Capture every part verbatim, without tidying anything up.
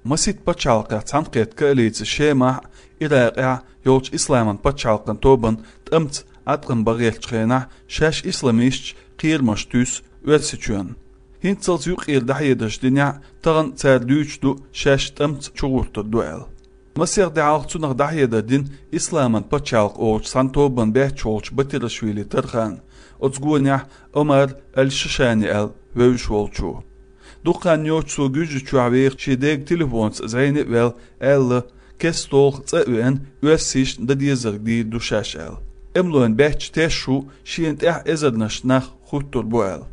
Масийтта пачхьалкхехь цхьаьнакхетта коалици Шемахь а, Иракъехь а йолчу исламан пачхьалкхан тобанна тӀамца Ӏаткъам бан гӀертачу хенахь, шаьш исламисташ кхерамаш туьйсу Оьрсийчоьнна. ХӀинццалц юккъера дӀахьедарш динехь а, тахана цара дуьйцуш ду шаьш тӀамца чугӀуртур ду аьлла. Масех де хьалха цунах дӀахьедар дина исламан пачхьалкх олучу цхьана тобанан баьчча волчу Батирашвили Тархана, оцу гонехь Омар аль-Шишани аьлла вевзаш волчо. Дукха хан йоццуш цо Гуьржийчохь вехаш шен дега телефонца зӀене а ваьлла, аьлла, кеста-толха цӀа а веана, оьрсашна дан дезарг дийр ду шаьш аьлла. ТӀемалойн баьчча теш ву шена тӀехь эзарнаш нах хӀуттур бу аьлла.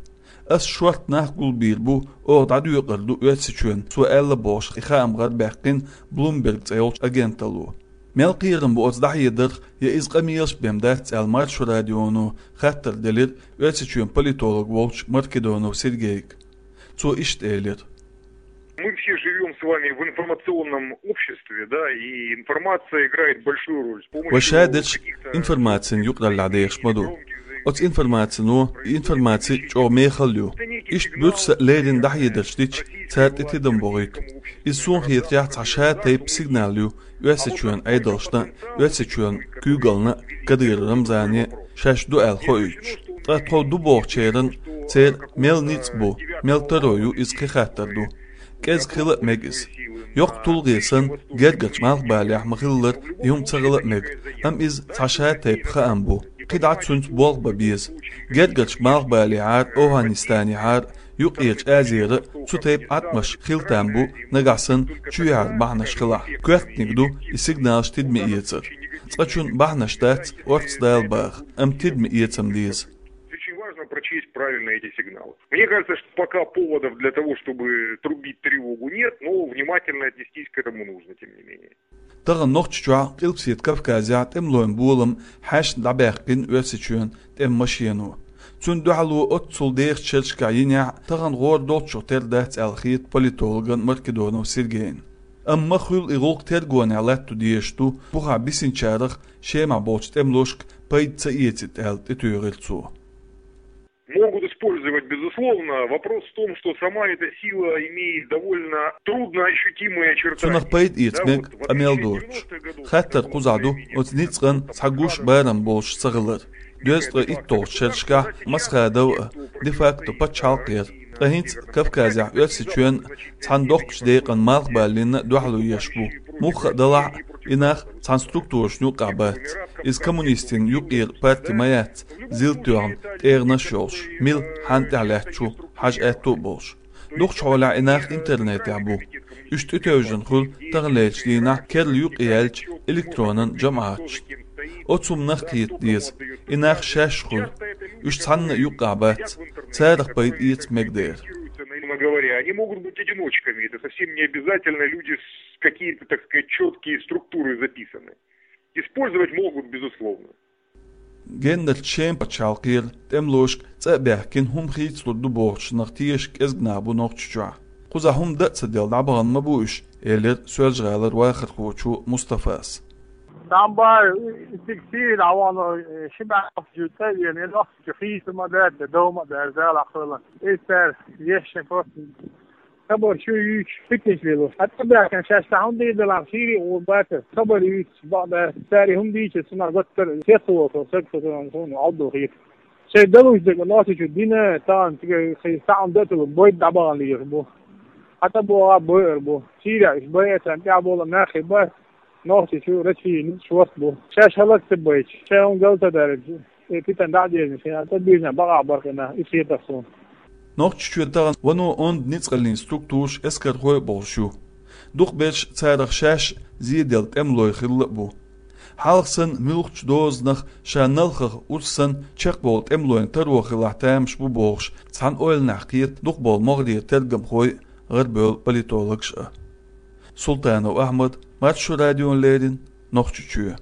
Ас шорта нах гулбийр бу, оха дӀадоькъур ду Оьрсийчоьнна, цо аьлла бохуш, и хаам гӀарабаьккхина Bloomberg цӀе йолчу агенталло. Мел кхерам бу оцу дӀахьедарх, я иза къамелаш бен дац аьлла, Маршо радионо хаттар делира Оьрсийчоьнан политолог волчу Маркедонов Сергейга. Цо иштта элира: Мы все живём с вами в информационном обществе, да, и информация играет большую роль. С помощью Вай ша дерш каких-то информацин юкъараллехь дехаш ма ду. Оцу информацино, и информаци чӀогӀа мехала ю. Иштта буьрса а леррина дӀахьедарш дича, цара тӀе тидам бохуьйту. Иза суна хетарехь цхьа ша тайпа сигнал ю Оьрсийчоьнан Ӏедалшна а, Оьрсийчоьнан куьйгаллина а, Кадыров Рамзане а, шаьш ду аьлла хоуьйтуш. Ткъа тхо ду бохучеран церан мел ницкъ бу, мел таро ю, иза кхин хаттар ду. КӀезиг хила а мега иза. Йоккха тулгӀе санна, гергарчу малхбалехь ма-хиллара, и хӀума ца хила а мега, амма иза цхьа ша тайпа хаам бу. КхидӀа цуьнца болх бан беза. Гергарчу малхбалехьара, ОвхӀанистанехьара, Юккъерчу Азера цу тайпа Ӏаткъамаш хила там бу, нагахь санна чоьхьара бахьанаш хилахь. Коьртаниг ду и сигналаш тидаме эцар. Цкъачунна бахьанаш дац орца дала баха, амма тидаме эца-м деза. Очень важно прочесть правильно эти сигналы. Мне кажется, что пока поводов для того, чтобы трубить тревогу, нет, но внимательно отнестись к этому нужно, тем не менее. Тахана Нохчийчохь а, Къилбаседа Кавказехь а тӀемалойн болам хьаьшна дӀабаьккхина Оьрсийчоьнан тӀеман машено. Цунна дуьхьало оццул дехачу шерашкахь йинехь а, тахана гӀора долчух тера дац аьлла хета политологна Маркедонов Сергейна. Амма ма-хуьллу и гӀуллакх тергонехь латто дезаш ду, бухахь бисинчарах Шемахь болчу тӀемалошка пайда ца эцийта аьлла, тӀетуьйхира цо. Могут использовать, безусловно. Вопрос в том, что сама эта сила имеет довольно трудно ощутимые очертания. Цунах пайда эца мега, къамел доцуш. Хаттар кхузахь ду оцу ницкъан цхьа гуш барам болуш ца хилар. Дезткъе итталгӀачу шерашкахь Масхадов а де-факто пачхьалкх яра. Ткъа хӀинца Кавказехь Оьрсийчоьнан цхьана доккхачу декъан малхбаллина дуьхьало еш бу. Муха а далахь а, и нах цхьана структурашна юккъехь бац. Иза коммунистийн юккъера парти ма яц, зил тоьхна тӀегӀанаш а йолуш, мила хьанна тӀехь лаьтташ ву хьажа аьтто а болуш. Дукхачу хьолехь и нах интернетехь бу. Уьш тӀетевжина хуьлу таханлерчу дийнахь керла юкъаяьллачу электронан жамӀаташна. Оцу хӀуманах кхета деза, и нах шаьш хуьлу. Уьш цхьанна а юккъехь бац, царах пайда эца мега дера. Говоря, они могут быть одиночками, это совсем не обязательно люди с какие-то, так сказать, четкие структуры записаны. Использовать могут, безусловно. Геннара Шеман пачхьалкхера тӀемалошка цӀа а баьхкина, хӀума хийцалур ду бохучунах теша кӀезиг нах бу Нохчийчохь. Кхузахь хӀума дан а ца делла дӀабахана ма бу уьш, элира Соьлжа-ГӀалара вахархочо Мустафас. Дан бахьа, стаг сийра дӀавахана, ши бӀе нохчо цӀа а веана, и нохчо хийца ма дац, дов ма дац, Дала хьалха. Иза цара ешшина просто хабар чу юьйцуш, питанаш лелош. Хьан тӀебаьхкина шаьш цхьа хӀума дийр делахь, сийрий гӀур бацара. Хабар юьйцуш бакъ бац. Цара и хӀума дийча, цунах гуттар а сецволуш, саг со цунах суна Ӏовдал хета. Шайн далуш дерг нохчочо дина, тахана цига кхин цхьа хӀума дан а ца луш, бойда дӀабахана лелаш бу. Хьан тӀебогӀа бойур бу. Сийрехь уьш байа царна тӀаьхьа болу нах хир бац. Нохчочо Россин ницкъ шорта бу. Шаьш хӀаллак ца байча, шайн хӀума гал ца дарча, и питана дӀа а дезна, шайна тӀе а буьйжина бакъахь бара-кх и нах, иза хета суна. Нохчийчоь тахана вуно онда ницкъаллин структураш, эскархой а болуш ю. Дукхахберш царах шаьш зеделла тӀемалой хилла а бу. Хьалха санна, муьлххачу дозанах ша налхах урс санна чекхбовла тӀемалойн таро хилахь тамаш бу бохуш, цхьана ойланехь кхета дукхахболу могӀарера тергамхой а, гӀарабевлла политологаш а. Султанов Ахьмад, Маршо радиона леррина, Нохчийчоь.